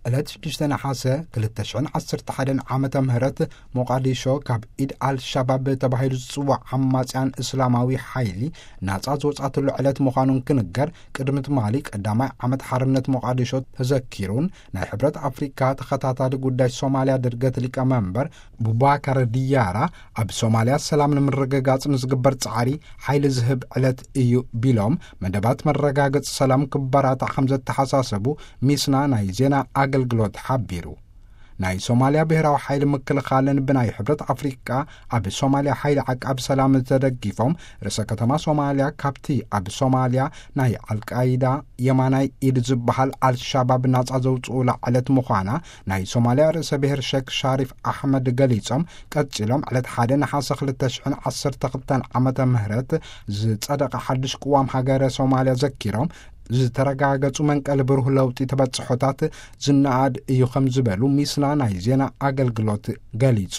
ዕለት ሽዱሽተ ነሓሰ ክልተ ሽሕን ዓሰርተ ሓደን ዓመተ ምህረት፣ ሞቓዲሾ ካብ ኢድ ኣልሻባብ ተባሂሉ ዝጽዋዕ ዓማጽያን እስላማዊ ሓይሊ ናጻ ዝወጻትሉ ዕለት ምዃኑን ክንገር፣ ቅድሚ ትማሊ ቀዳማይ ዓመት ሓርነት ሞቓዲሾ ተዘኪሩን፣ ናይ ሕብረት ኣፍሪካ ተኸታታሊ ጉዳይ ሶማልያ ድርገት ሊቀመንበር ቡባከር ድያራ፣ ኣብ ሶማልያ ሰላም ንምርግጋጽ ንዝግበር ጻዕሪ ሓይሊ ዝህብ ዕለት እዩ ቢሎም፣ መደባት መረጋገጺ ሰላም ክበራታዕ ከም ዘተሓሳሰቡ ሚስና ናይ ዜና ኣገልግሎት ሓቢሩ። ናይ ሶማልያ ብሔራዊ ሓይሊ ምክልኻልን ብናይ ሕብረት ኣፍሪቃ ኣብ ሶማልያ ሓይሊ ዓቃብ ሰላም ተደጊፎም፣ ርእሰ ከተማ ሶማልያ ካብቲ ኣብ ሶማልያ ናይ ኣልቃይዳ የማናይ ኢድ ዝበሃል ኣልሻባብ ናጻ ዘውጽኡላ ዕለት ምዃና ናይ ሶማልያ ርእሰ ብሔር ሼክ ሻሪፍ ኣሕመድ ገሊጾም፣ ቀጺሎም ዕለት ሓደ ነሓሰ ክልተ ሽሕን ዓሰርተ ክልተን ዓመተ ምህረት ዝጸደቐ ሓድሽ ቅዋም ሃገረ ሶማልያ ዘኪሮም፣ ዝተረጋገጹ መንቀሊ ብሩህ ለውጢ ተበጽሖታት ዝነኣድ እዩ ከም ዝበሉ ሚስና ናይ ዜና ኣገልግሎት ገሊጹ።